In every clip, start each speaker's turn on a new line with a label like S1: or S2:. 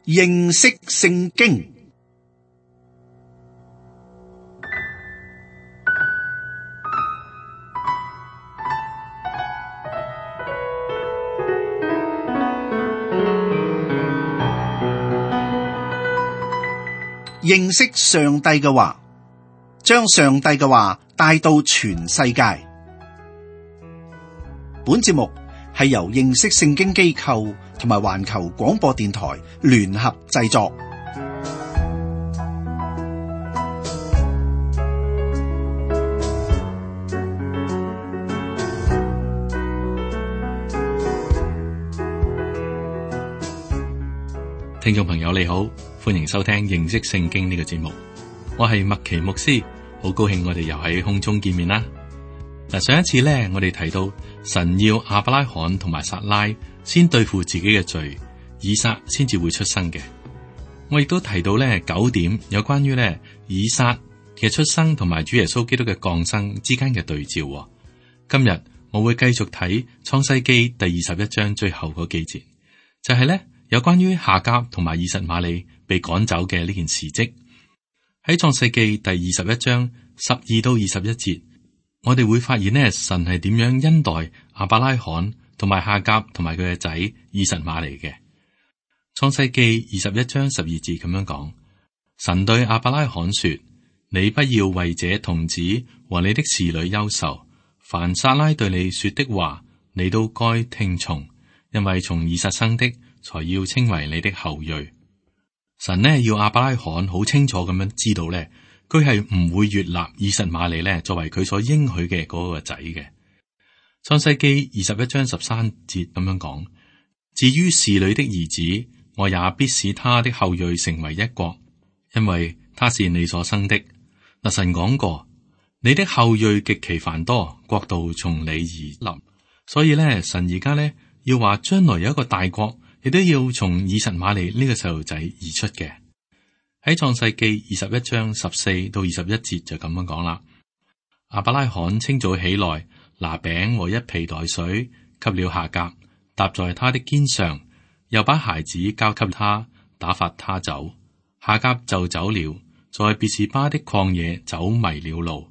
S1: 認識聖經。認識上帝嘅話，將上帝嘅話帶到全世界。本節目係由認識聖經機構同埋環球廣播電台聯合製作。
S2: 聽眾朋友你好，歡迎收聽認識聖經呢個節目。我係麥奇牧師，好高興我哋又喺空中見面啦。嗱，上一次呢，我哋提到神要亞伯拉罕同埋撒拉先對付自己嘅罪，以撒先至會出生嘅。我亦都提到呢9點有關於呢以撒嘅出生同埋主耶穌基督嘅降生之間嘅對照。今日我會繼續睇創世記第21章最後嗰幾節，就係呢有關於夏甲同埋以實瑪利被趕走嘅呢件事蹟。喺創世記第21章12到21節，我哋會發現呢神係點樣恩待亞伯拉罕同埋夏甲同埋佢嘅仔以實瑪利嘅。創世記21章12節咁樣講：神對亞伯拉罕說，你不要為這童子和你的侍女憂愁，凡撒拉對你說的話，你都該聽從，因為從以撒生的才要稱為你的後裔。神呢要亞伯拉罕好清楚咁樣知道呢，佢係唔會悅納以實瑪利呢作為佢所應許嘅嗰個仔嘅。創世記21章13節咁樣講：至於侍女的兒子，我也必使他的後裔成為一國，因為他是你所生的。嗱，神講過，你的後裔極其繁多，國度從你而臨。所以呢，神而家呢要話將來有一個大國，亦都要從以實瑪利呢個細路仔而出嘅。喺創世記21章14到21節就咁樣講啦。亞伯拉罕清早起來，拿餅和一皮袋水，給了夏甲，搭在他的肩上，又把孩子交給他，打發他走。夏甲就走了，在別是巴的曠野走迷了路。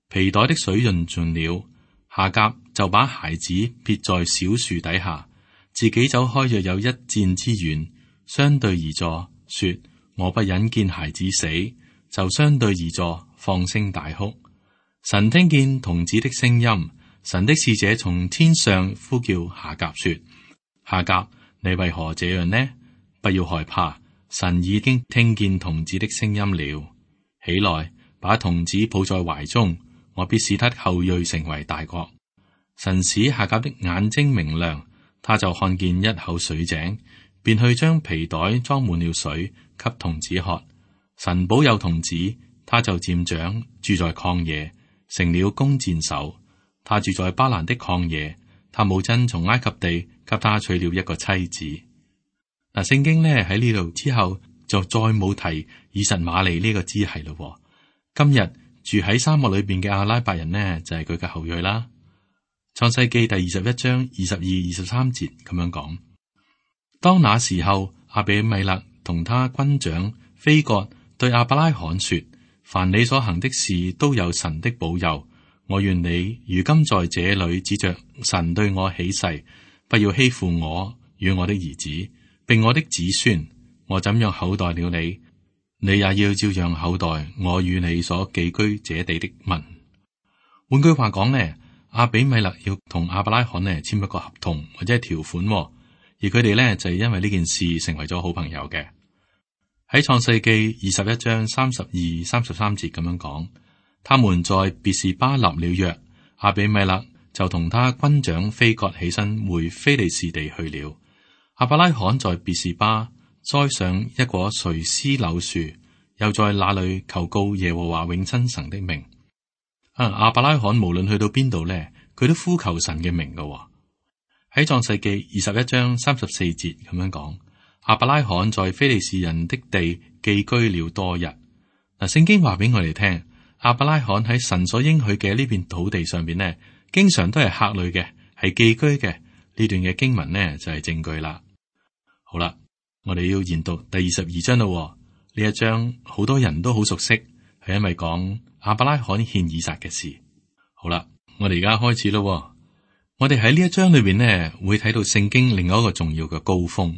S2: 皮袋的水潤盡了，夏甲就把孩子撇在小樹底下，自己走開約有1箭之遠，相對而坐，說：我不忍見孩子死，就相對而坐，放聲大哭。神聽見童子的聲音，神的使者從天上呼叫夏甲說：夏甲，你為何這樣呢？不要害怕，神已經聽見童子的聲音了。起來，把童子抱在懷中，我必使他的後裔成為大國。神使夏甲的眼睛明亮，他就看見一口水井，便去將皮袋裝滿了水，給童子喝。神保佑童子，他就漸長，住在曠野，成了弓箭手。他住在巴蘭的曠野，他母親從埃及地給他娶了一個妻子。嗱，聖經呢喺呢度之後就再冇提以實瑪利呢個支系咯。今日住喺沙漠裏邊嘅阿拉伯人呢，就係佢嘅後裔啦。創世記第21章22、23節咁樣講：當那時候，亞比米勒同他軍長非割對亞伯拉罕說：凡你所行的事都有神的保佑。我願你如今在這裏指着神對我起誓，不要欺負我與我的兒子，並我的子孫。我怎樣厚待了你，你也要照樣厚待我與你所寄居這地的民。換句話講呢，亞比米勒要同亞伯拉罕呢簽一個合同或者係條款，而佢哋呢就係因為呢件事成為咗好朋友嘅。喺創世記21章32、33節咁樣講：他們在別是巴立了約，亞比米勒就同他軍長非割起身回非利士地去了。亞伯拉罕在別是巴栽上一棵垂絲柳樹，又在那裏求告耶和華永生神的名。亞伯拉罕無論去到邊度呢，佢都呼求神嘅名噶。喺創世記21章34節咁樣講：亞伯拉罕在非利士人的地寄居了多日。嗱，聖經話俾我哋聽，亞伯拉罕喺神所應許嘅呢片土地上邊呢，經常都係客旅嘅，係寄居嘅。呢段嘅經文呢就係證據啦。好啦，我哋要研讀第22章咯。呢一章好多人都好熟悉，係因為講亞伯拉罕獻以撒嘅事。好啦，我哋而家開始咯。我哋喺呢一章裏邊呢，會睇到聖經另外一個重要嘅高峰。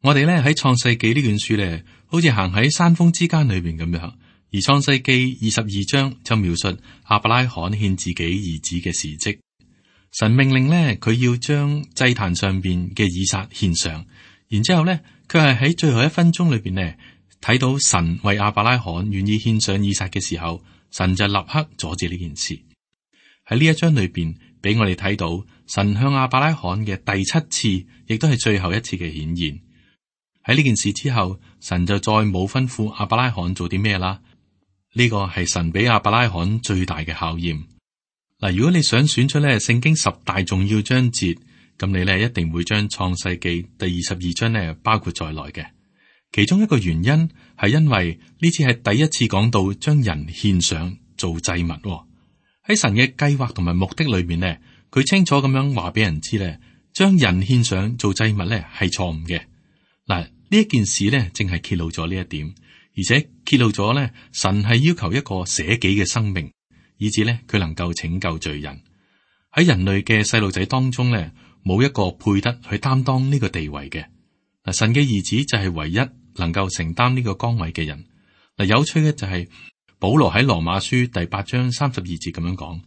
S2: 我哋咧喺創世紀呢卷書咧，好似行喺山峰之間裏邊咁樣。而創世紀22章就描述亞伯拉罕獻自己兒子嘅事蹟。神命令咧，佢要將祭壇上邊嘅以撒獻上，然之後咧，佢係喺最後一分鐘裏邊呢，睇到神為亞伯拉罕願意獻上以撒嘅時候，神就立刻阻止呢件事。喺呢一章裏邊，俾我哋睇到神向亞伯拉罕嘅第7次，亦都係最後一次嘅顯現。喺呢件事之後，神就再冇吩咐亞伯拉罕做啲咩啦。呢個係神俾亞伯拉罕最大嘅考驗。嗱，如果你想選出咧聖經10大重要章節，咁你咧一定會將創世記第22章咧包括在內嘅。其中一個原因係因為呢次係第一次講到將人獻上做祭物。喺神嘅計劃同埋目的裏面呢，佢清楚咁樣話俾人知咧，將人獻上做祭物咧係錯誤嘅。嗱，呢一件事咧正係揭露咗呢一點，而且揭露咗咧神係要求一個捨己嘅生命，以致咧佢能夠拯救罪人。喺人類嘅細路仔當中咧，冇一個配得去擔當呢個地位嘅。嗱，神嘅兒子就係唯一能夠承擔呢個崗位嘅人。嗱，有趣嘅就係保羅喺羅馬書第8章32節咁樣講：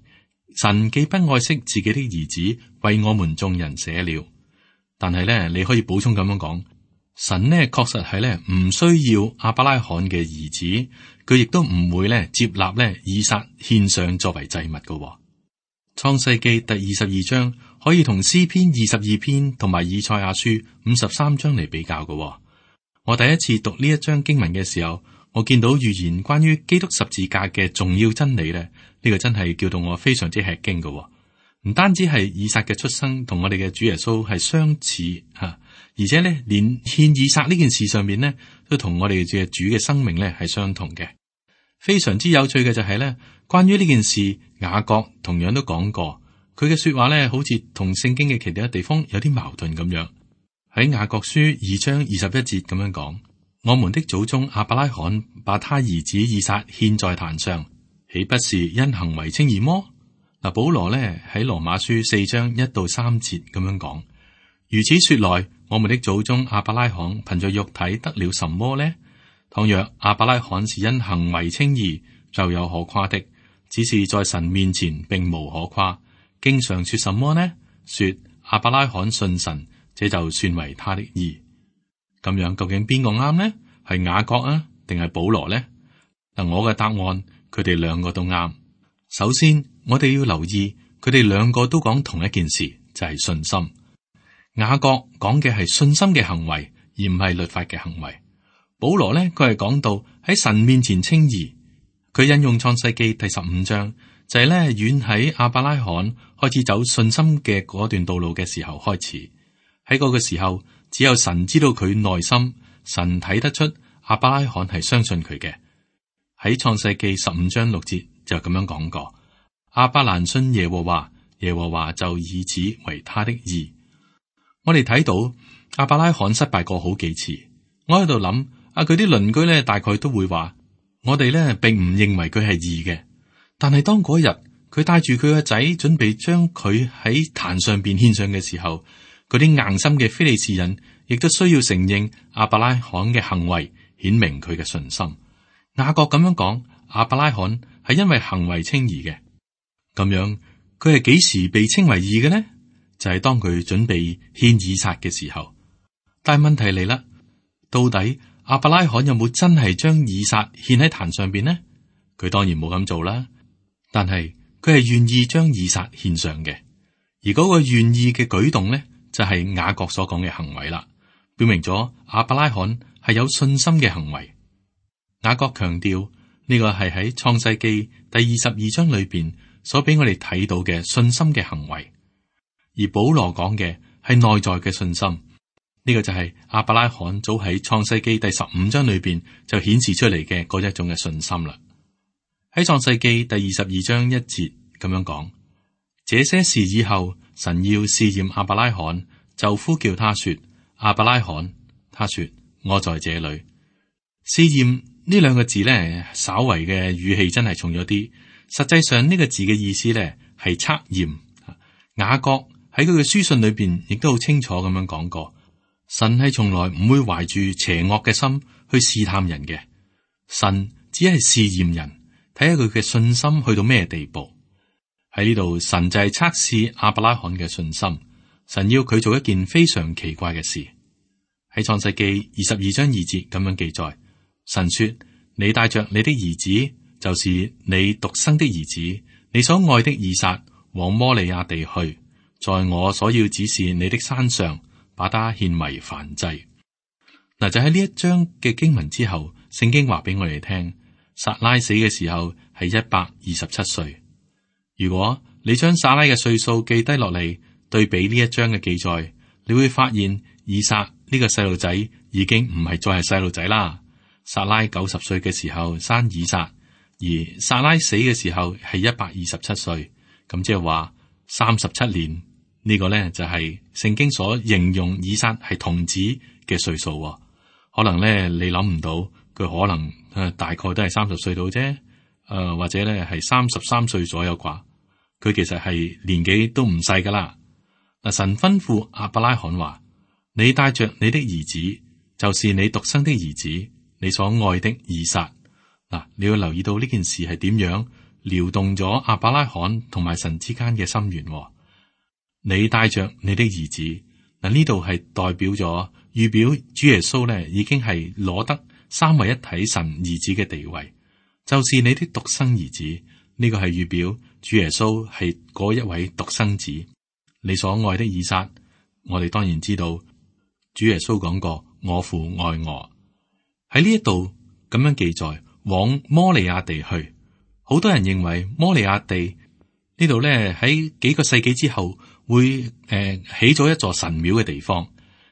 S2: 神既不愛惜自己的兒子，為我們眾人捨了。但係咧，你可以補充咁樣講。神呢確實係咧唔需要亞伯拉罕嘅兒子，佢亦都唔會咧接納咧以撒獻上作為祭物嘅。創世記第22章可以同詩篇22篇同埋以賽亞書53章嚟比較嘅。我第一次讀呢一章經文嘅時候，我見到預言關於基督十字架嘅重要真理咧，呢個真係叫到我非常之吃驚嘅。唔單止係以撒嘅出生同我哋嘅主耶穌係相似吓。而且咧，連獻以撒呢件事上面呢，都同我哋嘅主嘅生命咧係相同嘅。非常之有趣嘅就係咧，關於呢件事，雅各同樣都講過，佢嘅說話咧，好似同聖經嘅其他地方有啲矛盾咁樣。喺雅各書2章21節咁樣講：我們的祖宗亞伯拉罕把他兒子以撒獻在壇上，豈不是因行為稱義麼？嗱，保羅咧喺羅馬書4章1到3節咁樣講：如此說來，我們的祖宗亞伯拉罕憑着肉體得了什麼呢？倘若亞伯拉罕是因行為稱義，就有可誇的；只是在神面前並無可誇。經上說什麼呢？說亞伯拉罕信神，這就算為他的義。咁樣究竟邊個啱呢？係雅各啊，定係保羅呢？嗱，我嘅答案，佢哋兩個都啱。首先，我哋要留意，佢哋兩個都講同一件事，就係信心。雅各講嘅係信心嘅行為，而唔係律法嘅行為。保羅呢，佢係講到喺神面前稱義。佢引用創世記第15章，就係咧遠喺亞伯拉罕開始走信心嘅嗰段道路嘅時候開始。喺嗰個時候，只有神知道佢內心，神睇得出亞伯拉罕係相信佢嘅。喺創世記15章6節就咁樣講過：亞伯蘭信耶和華，耶和華就以此為他的義。我哋睇到亞伯拉罕失敗過好幾次，我喺度諗，佢啲鄰居咧大概都會話，我哋咧並唔認為佢係義嘅。但係當嗰日佢帶住佢個仔準備將佢喺壇上邊獻上嘅時候，嗰啲硬心嘅非利士人亦都需要承認亞伯拉罕嘅行為，顯明佢嘅信心。雅各咁樣講，亞伯拉罕係因為行為稱義嘅。咁樣佢係幾時被稱為義嘅呢？就係當佢準備獻以撒嘅時候。但係問題嚟啦，到底亞伯拉罕有冇真係將以撒獻喺壇上邊呢？佢當然冇咁做啦。但係佢係願意將以撒獻上嘅，而嗰個願意嘅舉動呢，就係雅各所講嘅行為啦，表明咗亞伯拉罕係有信心嘅行為。雅各強調呢個係喺創世記第22章裏邊所俾我哋睇到嘅信心嘅行為。而保羅講嘅係內在嘅信心，呢個就係亞伯拉罕早喺創世記第15章裏邊就顯示出嚟嘅嗰一種嘅信心啦。喺創世記第22章1節咁樣講：這些事以後，神要試驗亞伯拉罕，就呼叫他說：亞伯拉罕。他說：我在這裏。試驗呢兩個字咧，稍為嘅語氣真係重咗啲。實際上呢個字嘅意思咧係測驗。雅各喺佢嘅書信裏邊亦都好清楚咁樣講過，神係從來唔會懷住邪惡嘅心去試探人嘅，神只係試驗人，睇下佢嘅信心去到咩地步。喺呢度，神就係測試亞伯拉罕嘅信心。神要佢做一件非常奇怪嘅事。喺創世記22章2節咁樣記載，神說：你帶着你的兒子，就是你獨生的兒子，你所愛的以撒，往摩利亞地去，在我所要指示你的山上，把他獻為燔祭。嗱，就喺呢一章嘅經文之後，聖經話俾我哋聽，撒拉死嘅時候係127歲。如果你將撒拉嘅歲數記低落嚟，對比呢一章嘅記載，你會發現以撒呢個細路仔已經唔係再係細路仔啦。撒拉90歲嘅時候生以撒，而撒拉死嘅時候係127歲，咁即係話37年。呢個呢，就係聖經所形容以撒係童子嘅歲數。可能呢，你諗唔到佢可能大概都係30歲到啫，或者呢係33歲左右啩。佢其實係年紀都唔細噶啦。嗱，神吩咐亞伯拉罕話：你帶着你的兒子，就是你獨生的兒子，你所愛的以撒。嗱，你要留意到呢件事係點樣撩動咗亞伯拉罕同埋神之間嘅心緣。你帶着你的兒子，嗱，呢度係代表咗預表主耶穌咧，已經係攞得三位一體神兒子嘅地位，就是你的獨生兒子。呢個係預表主耶穌係嗰一位獨生子。你所愛的以撒，我哋當然知道主耶穌講過我父愛我。喺呢一度咁樣記載，往摩利亞地去。好多人認為摩利亞地呢度咧，喺幾個世紀之後會起咗一座神廟嘅地方，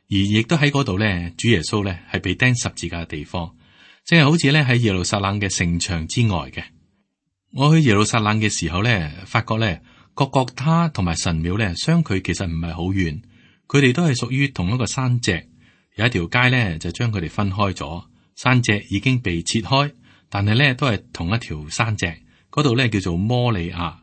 S2: 而亦都喺嗰度咧，主耶穌咧係被釘十字架嘅地方，即係好似咧喺耶路撒冷嘅城牆之外嘅。我去耶路撒冷嘅時候咧，發覺咧各各他同埋神廟咧相距其實唔係好遠，佢哋都係屬於同一個山脊，有一條街咧就將佢哋分開咗，山脊已經被切開，但係咧都係同一條山脊，嗰度咧叫做摩利亞。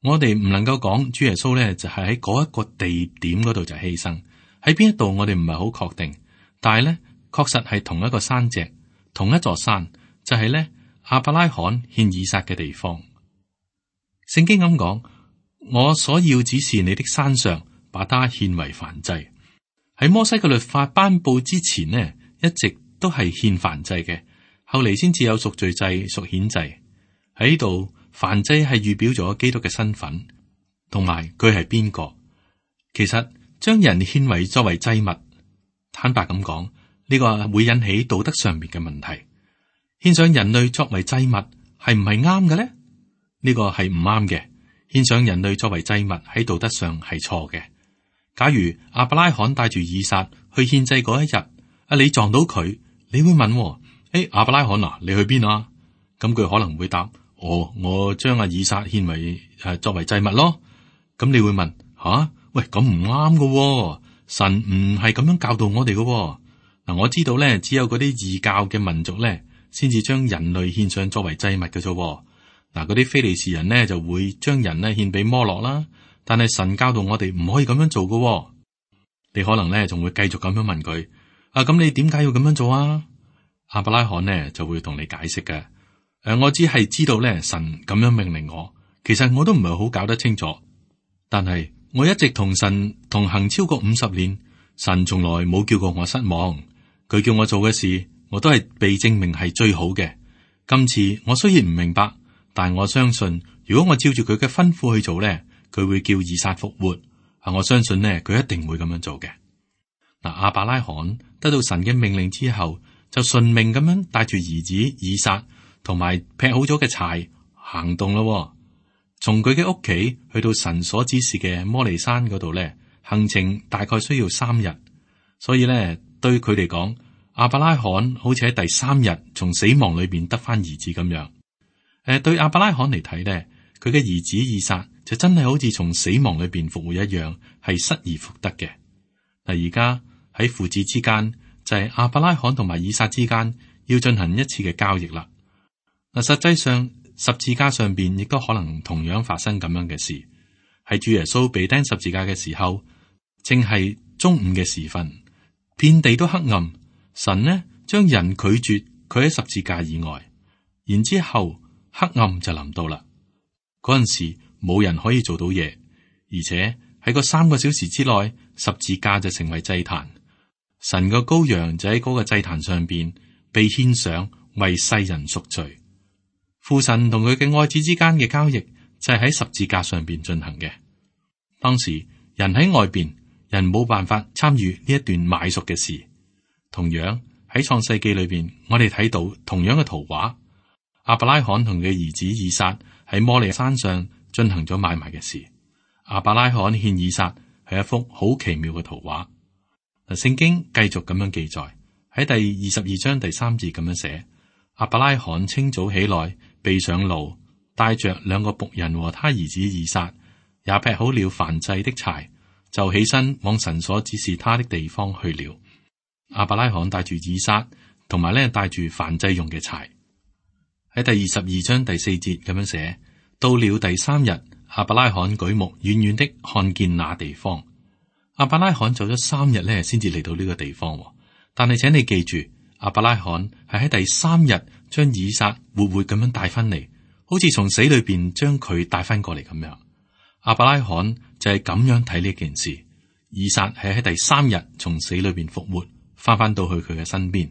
S2: 我哋唔能夠講主耶穌咧就係喺嗰一個地點嗰度就犧牲，喺邊一度我哋唔係好確定，但係咧確實係同一個山脊，同一座山，就係咧亞伯拉罕獻以撒嘅地方。聖經咁講，我所要指示你的山上，把它獻為燔祭。喺摩西嘅律法頒布之前呢，一直都係獻燔祭嘅，後嚟先至有贖罪祭、贖愆祭。喺呢度，燔祭係預表咗基督嘅身份，同埋佢係邊個。其實將人獻為作為祭物，坦白咁講，呢個會引起道德上面嘅問題。獻上人類作為祭物係唔係啱嘅咧？呢個係唔啱嘅。獻上人類作為祭物喺道德上係錯嘅。假如亞伯拉罕帶住以撒去獻祭嗰一日，你撞到佢，你會問：亞伯拉罕啊，你去邊啊？咁佢可能會答：我將阿以撒獻為作為祭物咯。咁你會問：喂，咁唔啱㗎，神唔係咁樣教導我哋㗎。嗱，我知道咧，只有嗰啲異教嘅民族咧，先至將人類獻上作為祭物嘅啫。嗱，嗰啲非利士人呢就會將人呢獻俾摩洛啦，但係神教導我哋唔可以咁樣做㗎。你可能咧仲會繼續咁樣問佢：咁你點解要咁樣做啊？亞伯拉罕呢就會同你解釋嘅。我只係知道咧，神咁樣命令我，其實我都唔係好搞得清楚。但係我一直同神同行超過50年，神從來冇叫過我失望。佢叫我做嘅事，我都係被證明係最好嘅。今次我雖然唔明白，但我相信，如果我照住佢嘅吩咐去做咧，佢會叫以撒復活。我相信呢，佢一定會咁樣做嘅。嗱，亞伯拉罕得到神嘅命令之後，就順命咁樣帶住兒子以撒同埋劈好咗嘅柴行動咯。從佢嘅屋企去到神所指示嘅摩利山嗰度咧，行程大概需要3日。所以咧，對佢嚟講，亞伯拉罕好似喺第3日從死亡裏邊得翻兒子咁樣。對亞伯拉罕嚟睇咧，佢嘅兒子以撒就真係好似從死亡裏邊復活一樣，係失而復得嘅。嗱，而家喺父子之間就係亞伯拉罕同埋以撒之間要進行一次嘅交易啦。嗱，實際上十字架上邊亦都可能同樣發生咁樣嘅事。係主耶穌被釘十字架嘅時候，正係中午嘅時分，遍地都黑暗。神呢將人拒絕佢喺十字架以外，然之後黑暗就臨到啦。嗰陣時冇人可以做到嘢，而且喺個3個小時之內，十字架就成為祭壇。神個羔羊就喺嗰個祭壇上邊被獻上，為世人贖罪。父神同佢嘅愛子之間嘅交易就係喺十字架上邊進行嘅。當時人喺外邊，人冇辦法參與呢一段買贖嘅事。同樣喺創世記裏邊，我哋睇到同樣嘅圖畫。亞伯拉罕同佢兒子以撒喺摩利亞山上進行咗買賣嘅事。亞伯拉罕獻以撒係一幅好奇妙嘅圖畫。聖經繼續咁樣記載，喺第22章第3節咁樣寫：亞伯拉罕清早起來，備上驢，帶着2個僕人和他兒子以撒，也劈好了燔祭的柴，就起身往神所指示他的地方去了。亞伯拉罕帶住以撒，同埋帶住燔祭用嘅柴。喺第22章第4節咁樣寫：到了第3日，亞伯拉罕舉目遠遠的看見那地方。亞伯拉罕走咗3日先至嚟到呢個地方。但係請你記住，亞伯拉罕係喺第3日將以撒活活咁樣帶翻嚟，好似從死裏邊將佢帶翻過嚟咁樣。亞伯拉罕就係咁樣睇呢件事。以撒係喺第3日從死裏邊復活，翻到去佢嘅身邊。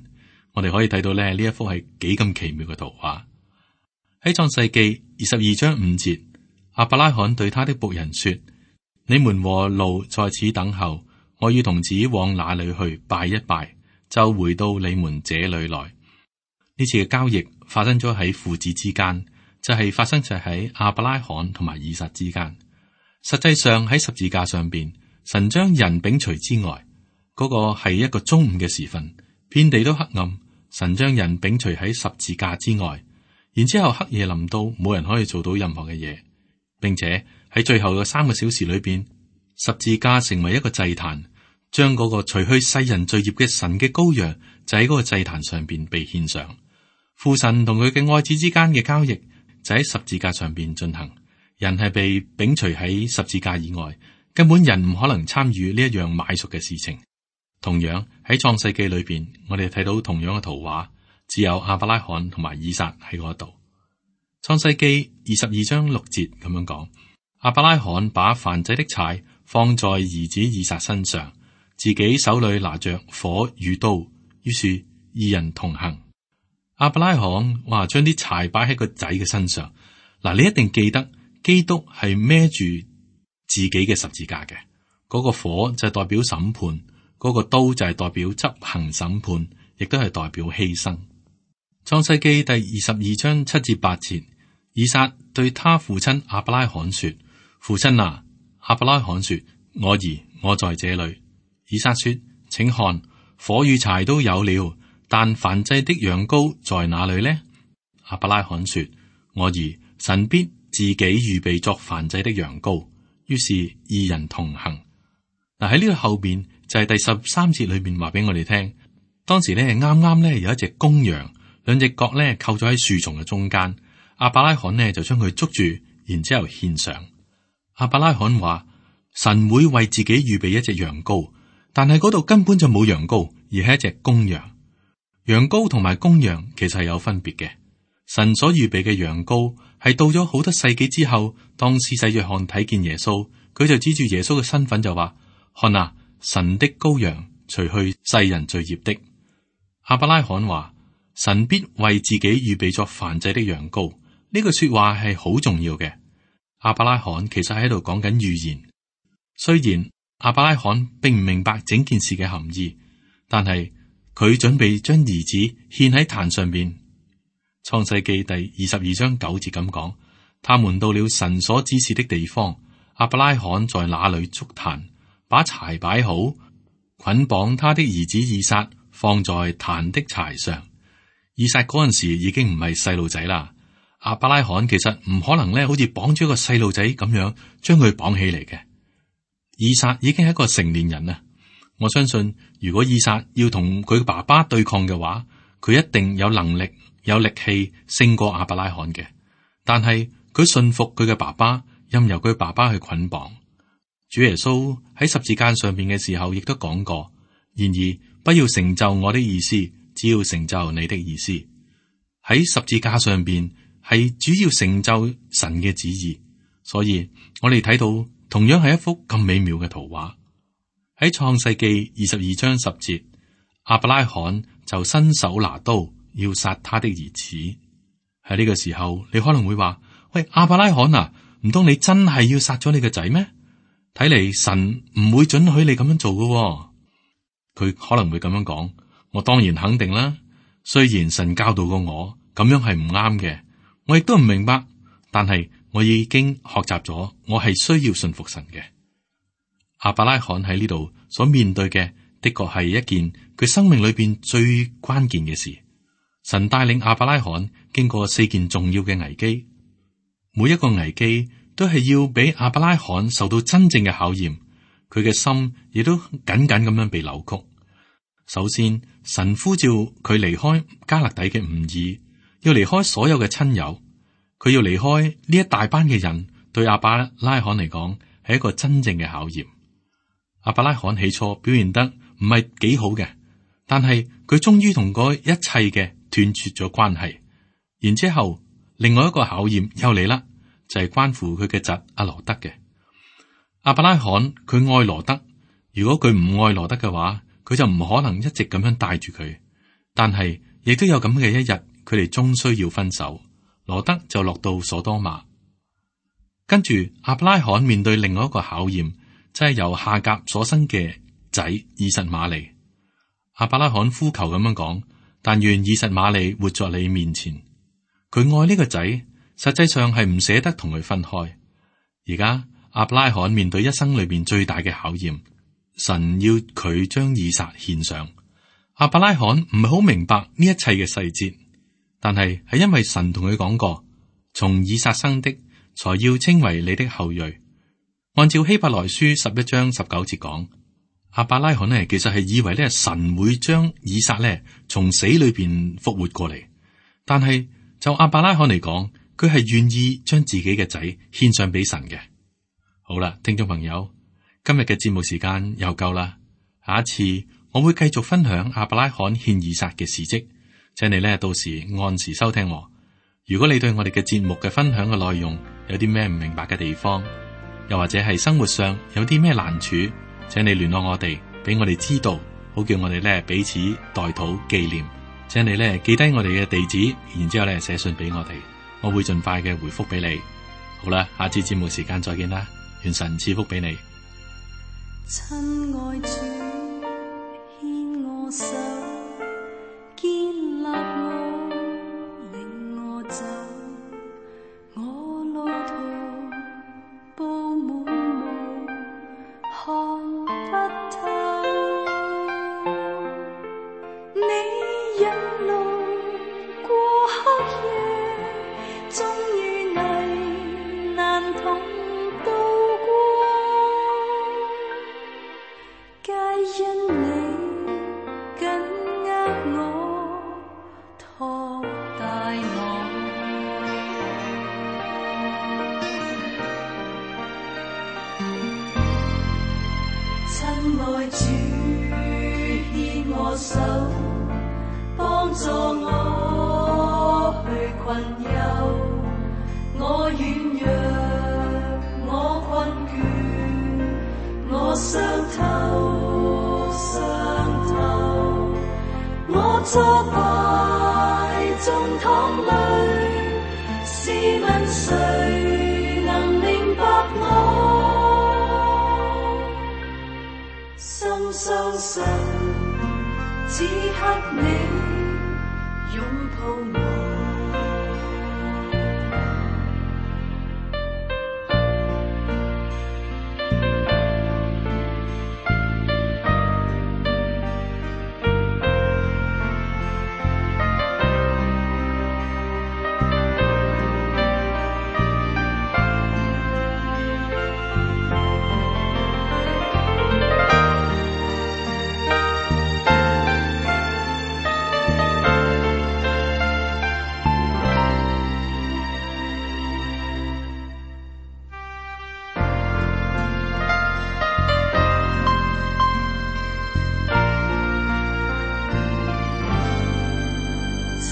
S2: 我哋可以睇到呢一幅係幾咁奇妙嘅圖畫。喺創世記22章5節，亞伯拉罕對他的僕人說：你們和驢在此等候，我要童子往那裏去拜一拜，就回到你們這裏來。呢次嘅交易發生咗喺父子之間，就係發生咗喺亞伯拉罕同埋以撒之間。實際上喺十字架上邊，神將人摒除之外，嗰個係一個中午嘅時分，遍地都黑暗。神將人摒除喺十字架之外，然之後黑夜臨到，冇人可以做到任何嘅嘢，並且喺最後嘅3個小時裏邊，十字架成為一個祭壇，將嗰個除去世人罪孽嘅神嘅羔羊就喺嗰個祭壇上邊被獻上。父神同佢嘅愛子之間嘅交易就喺十字架上邊進行。人係被摒除喺十字架以外，根本人唔可能參與呢一樣買贖嘅事情。同樣喺創世記裏邊，我哋睇到同樣嘅圖畫，只有亞伯拉罕同埋以撒喺嗰度。創世記22章6節咁樣講：亞伯拉罕把燔祭的柴放在兒子以撒身上，自己手裏拿着火與刀，於是二人同行。亞伯拉罕話將啲柴擺喺個仔嘅身上。嗱，你一定記得基督係孭住自己嘅十字架嘅，嗰個火就係代表審判，嗰個刀就係代表執行審判，亦都係代表犧牲。創世記第22章7至8節，以撒對他父親亞伯拉罕說：父親啊！亞伯拉罕說：我兒，我在這裏。以撒說：請看，火與柴都有了，但燔祭的羊羔在哪裏呢？亞伯拉罕說：我兒，神必自己預備作燔祭的羊羔。於是二人同行。嗱，喺呢個後邊就係第13節裏面話俾我哋聽，當時咧啱啱咧有一隻公羊，兩隻角咧扣咗喺樹叢嘅中間。亞伯拉罕呢就將佢捉住，然之後獻上。亞伯拉罕話：神會為自己預備一隻羊羔，但係嗰度根本就冇羊羔，而係一隻公羊。羊羔同埋公羊其實係有分別嘅。神所預備嘅羊羔係到咗好多世紀之後，當施洗約翰睇見耶穌，佢就指住耶穌嘅身份就話：看啊，神的羔羊，除去世人罪孽的。亞伯拉罕話：神必為自己預備作燔祭的羊羔。呢句說話係好重要嘅。亞伯拉罕其實喺度講緊預言。雖然亞伯拉罕並唔明白整件事嘅含義，但係佢準備將兒子獻喺壇上邊。創世記第22章9節咁講：他們到了神所指示的地方，亞伯拉罕在那裏築壇，把柴擺好，捆綁他的兒子以撒，放在壇的柴上。以撒嗰陣時已經唔係細路仔啦。亞伯拉罕其實唔可能咧，好似綁住一個細路仔咁樣將佢綁起嚟嘅。以撒已經係一個成年人啦，我相信如果以撒要同佢爸爸對抗嘅話，佢一定有能力、有力氣勝過亞伯拉罕嘅。但係佢信服佢嘅爸爸，任由佢爸爸去捆綁。主耶穌喺十字架上邊嘅時候，亦都講過：然而不要成就我的意思，只要成就你的意思。喺十字架上邊係主要成就神嘅旨意，所以我哋睇到同樣係一幅咁美妙嘅圖畫。喺創世記22章10節，亞伯拉罕就伸手拿刀要殺他的兒子。喺呢個時候，你可能會話：喂，亞伯拉罕啊，唔通你真係要殺咗你個仔咩？睇嚟神唔會准許你咁樣做嘅。佢可能會咁樣講：我當然肯定啦。雖然神教導過我咁樣係唔啱嘅，我亦都唔明白，但係我已經學習咗，我係需要信服神嘅。亞伯拉罕喺呢度所面對嘅，的確係一件佢生命裏邊最關鍵嘅事。神帶領亞伯拉罕經過4件重要嘅危機，每一個危機都係要俾亞伯拉罕受到真正嘅考驗，佢嘅心亦都緊緊咁樣被扭曲。首先，神呼召佢離開加勒底嘅吾珥，要離開所有嘅親友，佢要離開呢一大班嘅人，對亞伯拉罕嚟講係一個真正嘅考驗。亞伯拉罕起初表現得唔係幾好嘅，但係佢終於同嗰一切嘅斷絕咗關係。然之後，另外一個考驗又嚟啦，就係關乎佢嘅侄阿羅德嘅。亞伯拉罕佢愛羅德，如果佢唔愛羅德嘅話，佢就唔可能一直咁樣帶住佢。但係亦都有咁嘅一日，佢哋終須要分手，羅德就落到所多瑪。跟住亞伯拉罕面對另外一個考驗，就係由夏甲所生嘅仔以實瑪利。亞伯拉罕呼求咁樣講：但願以實瑪利活在你面前。佢愛呢個仔，實際上係唔捨得同佢分開。而家亞伯拉罕面對一生裏邊最大嘅考驗，神要佢將以撒獻上。亞伯拉罕唔係好明白呢一切嘅細節，但係因為神同佢講過，從以撒生的才要稱為你的後裔。按照希伯來書11章19節講，亞伯拉罕呢其實係以為咧神會將以撒咧從死裏邊復活過嚟，但係就亞伯拉罕嚟講，佢係願意將自己嘅仔獻上俾神嘅。好啦，聽眾朋友，今日嘅節目時間又夠啦，下一次我會繼續分享亞伯拉罕獻以撒嘅事蹟，請你咧到時按時收聽。如果你對我哋嘅節目嘅分享嘅內容有啲咩唔明白嘅地方，又或者係生活上有啲咩難處，請你聯絡我哋，俾我哋知道，好叫我哋咧彼此代禱紀念。請你咧記低我哋嘅地址，然之後咧寫信俾我哋，我會盡快嘅回覆俾你。好啦，下次節目時間再見啦，願神賜福俾你。
S3: 親愛主，牽我手，建立我，領我走，我路途布滿霧，看不透。你引路過黑夜，終於危難同渡過，皆因你緊握我，托帶我。親愛主，牽我手，幫助我去困憂，我軟弱，我困倦，我傷透，我挫敗中淌淚，試問誰能明白我？心相信，此刻你擁抱我。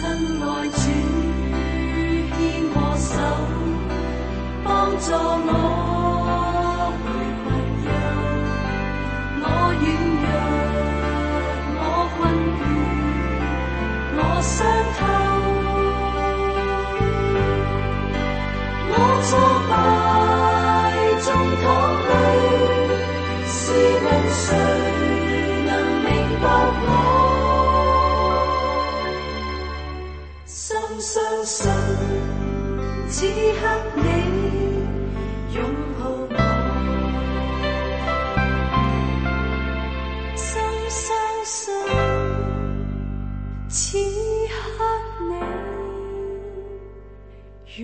S3: 愛主牽我手，幫助我去困憂，我軟弱，我困倦，我傷透，我挫敗中淌淚，試問誰能明白我？深相信此刻你擁抱我，深相信此刻你擁